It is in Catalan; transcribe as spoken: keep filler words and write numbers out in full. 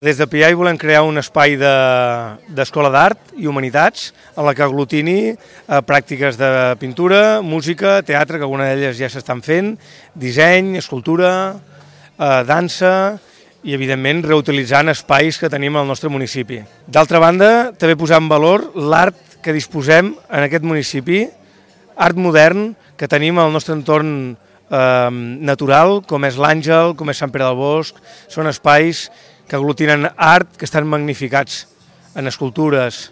Des de P I A volem crear un espai d'escola de, d'art i humanitats en la que aglutini eh, pràctiques de pintura, música, teatre, que algunes d'elles ja s'estan fent, disseny, escultura, eh, dansa i, evidentment, reutilitzant espais que tenim al nostre municipi. D'altra banda, també posar en valor l'art que disposem en aquest municipi, art modern que tenim al nostre entorn eh, natural, com és l'Àngel, com és Sant Pere del Bosc. Són espais que aglutinen art, que estan magnificats en escultures,